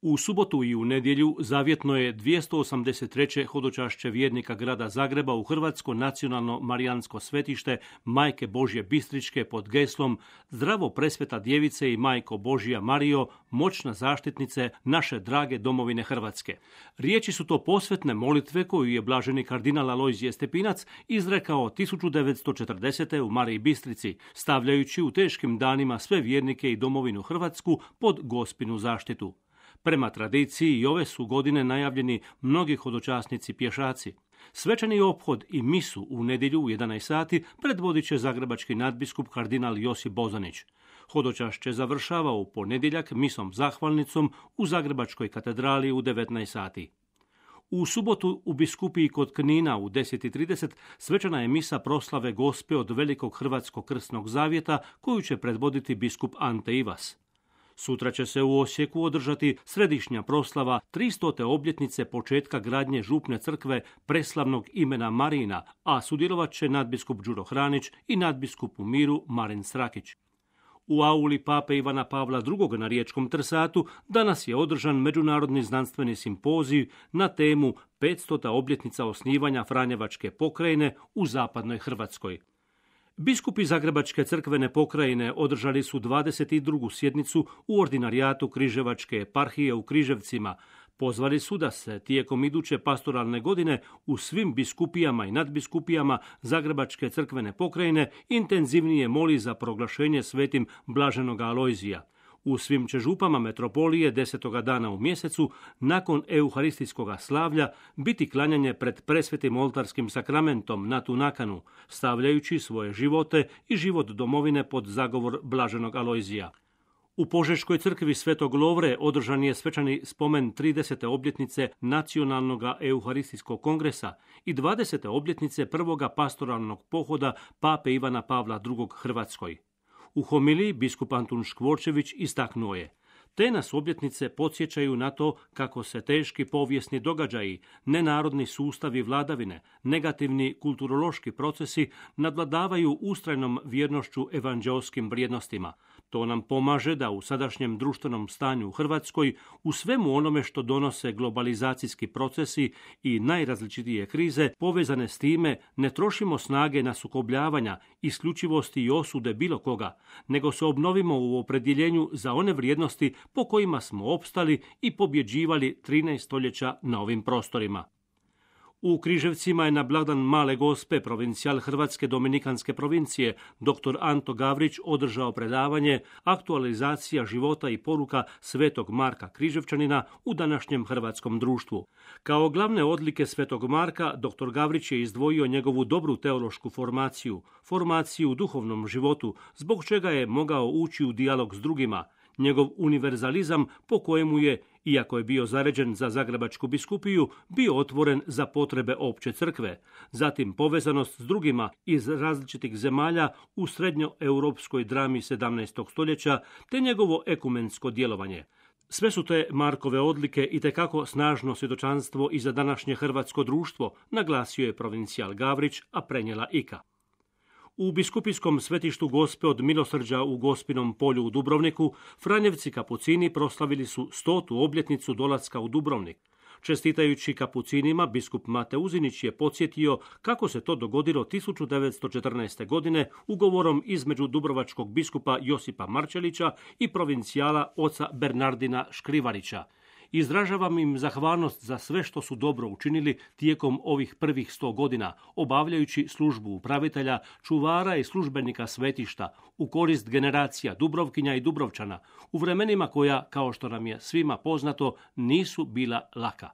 U subotu i u nedjelju zavjetno je 283. hodočašće vjernika grada Zagreba u Hrvatsko nacionalno marijansko svetište Majke Božje Bistričke pod geslom Zdravo presveta djevice i Majko Božja Marijo, moćna zaštitnice naše drage domovine Hrvatske. Riječi su to posvetne molitve koju je blaženi kardinal Alojzije Stepinac izrekao 1940. u Mariji Bistrici, stavljajući u teškim danima sve vjernike i domovinu Hrvatsku pod Gospinu zaštitu. Prema tradiciji i ove su godine najavljeni mnogi hodočasnici pješaci. Svečani ophod i misu u nedjelju u 11 sati predvodit će zagrebački nadbiskup kardinal Josip Bozanić. Hodočašće završava u ponedjeljak misom zahvalnicom u Zagrebačkoj katedrali u 19 sati. U subotu u biskupiji kod Knina u 10:30 svečana je misa proslave Gospe od Velikog Hrvatskog krsnog zavjeta koju će predvoditi biskup Ante Ivas. Sutra će se u Osijeku održati središnja proslava 300. obljetnice početka gradnje župne crkve preslavnog imena Marina, a sudjelovat će nadbiskup Đuro Hranić i nadbiskup u miru Marin Srakić. U auli pape Ivana Pavla II. Na Riječkom Trsatu danas je održan međunarodni znanstveni simpozij na temu 500. obljetnica osnivanja Franjevačke pokrajine u zapadnoj Hrvatskoj. Biskupi Zagrebačke crkvene pokrajine održali su 22. sjednicu u ordinarijatu Križevačke eparhije u Križevcima. Pozvali su da se tijekom iduće pastoralne godine u svim biskupijama i nadbiskupijama Zagrebačke crkvene pokrajine intenzivnije moli za proglašenje svetim blaženog Alojzija. U svim će župama metropolije 10. dana u mjesecu, nakon euharistijskog slavlja, biti klanjanje pred presvetim oltarskim sakramentom na tu nakanu, stavljajući svoje živote i život domovine pod zagovor blaženog Alojzija. U Požeškoj crkvi Svetog Lovre održan je svečani spomen 30. obljetnice Nacionalnog euharistijskog kongresa i 20. obljetnice prvoga pastoralnog pohoda pape Ivana Pavla II. Hrvatskoj. U homiliji biskup Antun Škvorčević istaknuo je: te nas obljetnice podsjećaju na to kako se teški povijesni događaji, nenarodni sustavi vladavine, negativni kulturološki procesi nadvladavaju ustrajnom vjernošću evanđeoskim vrijednostima. To nam pomaže da u sadašnjem društvenom stanju u Hrvatskoj, u svemu onome što donose globalizacijski procesi i najrazličitije krize povezane s time, ne trošimo snage na sukobljavanja, isključivosti i osude bilo koga, nego se obnovimo u opredjeljenju za one vrijednosti po kojima smo opstali i pobjeđivali 13 stoljeća na ovim prostorima. U Križevcima je na blagdan Male Gospe provincijal Hrvatske dominikanske provincije dr. Anto Gavrić održao predavanje Aktualizacija života i poruka Svetog Marka Križevčanina u današnjem hrvatskom društvu. Kao glavne odlike Svetog Marka, dr. Gavrić je izdvojio njegovu dobru teološku formaciju u duhovnom životu, zbog čega je mogao ući u dijalog s drugima, njegov univerzalizam po kojemu je, iako je bio zaređen za Zagrebačku biskupiju, bio otvoren za potrebe opće crkve, zatim povezanost s drugima iz različitih zemalja u srednjoeuropskoj drami 17. stoljeća, te njegovo ekumensko djelovanje. Sve su te Markove odlike itekako snažno svjedočanstvo i za današnje hrvatsko društvo, naglasio je provincijal Gavrić, a prenijela Ika. U biskupijskom svetištu Gospe od Milosrđa u Gospinom polju u Dubrovniku, Franjevci kapucini proslavili su 100. obljetnicu dolaska u Dubrovnik. Čestitajući kapucinima, biskup Mate Uzinić je podsjetio kako se to dogodilo 1914. godine ugovorom između dubrovačkog biskupa Josipa Marčelića i provincijala oca Bernardina Škrivarića. Izražavam im zahvalnost za sve što su dobro učinili tijekom ovih prvih 100 godina, obavljajući službu upravitelja, čuvara i službenika svetišta u korist generacija Dubrovkinja i Dubrovčana, u vremenima koja, kao što nam je svima poznato, nisu bila laka.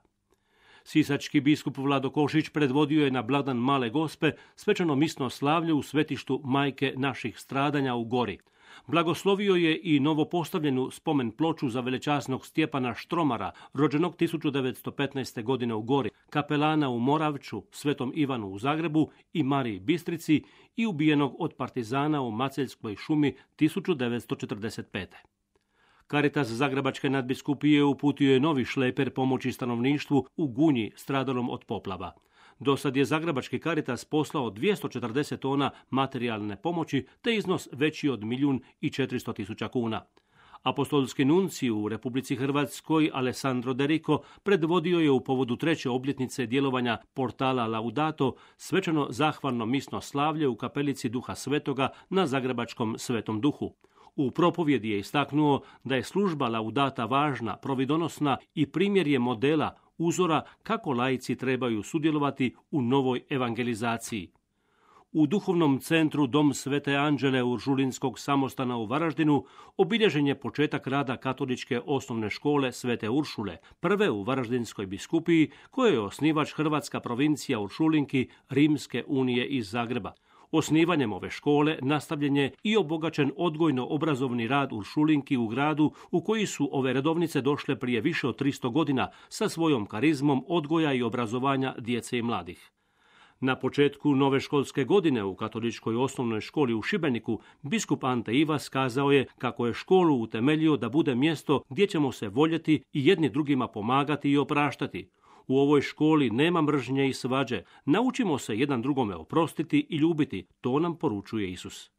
Sisački biskup Vlado Košić predvodio je na blagdan Male Gospe svečano misno slavlje u svetištu Majke naših stradanja u Gori. Blagoslovio je i novopostavljenu spomen ploču za velečasnog Stjepana Štromara, rođenog 1915. godine u Gori, kapelana u Moravču, Svetom Ivanu u Zagrebu i Mariji Bistrici i ubijenog od partizana u Maceljskoj šumi 1945. Caritas Zagrebačke nadbiskupije uputio je novi šleper pomoći stanovništvu u Gunji stradalom od poplava. Dosad je Zagrebački Caritas poslao 240 tona materijalne pomoći te iznos veći od 1.400.000 kuna. Apostolski nuncij u Republici Hrvatskoj Alessandro De Rico predvodio je u povodu 3. obljetnice djelovanja portala Laudato svečano zahvalno misno slavlje u kapelici Duha Svetoga na zagrebačkom Svetom Duhu. U propovjedi je istaknuo da je služba Laudata važna, providonosna i primjer je modela, uzora kako laici trebaju sudjelovati u novoj evangelizaciji. U duhovnom centru Dom Svete Anđele Uršulinskog samostana u Varaždinu obilježen je početak rada katoličke osnovne škole Svete Uršule, prve u Varaždinskoj biskupiji, koje je osnivač hrvatska provincija Uršulinki Rimske unije iz Zagreba. Osnivanjem ove škole nastavljen je i obogaćen odgojno-obrazovni rad Uršulinki u gradu u koji su ove redovnice došle prije više od 300 godina sa svojom karizmom odgoja i obrazovanja djece i mladih. Na početku nove školske godine u katoličkoj osnovnoj školi u Šibeniku biskup Ante Ivas kazao je kako je školu utemeljio da bude mjesto gdje ćemo se voljeti i jedni drugima pomagati i opraštati. U ovoj školi nema mržnje i svađe. Naučimo se jedan drugome oprostiti i ljubiti. To nam poručuje Isus.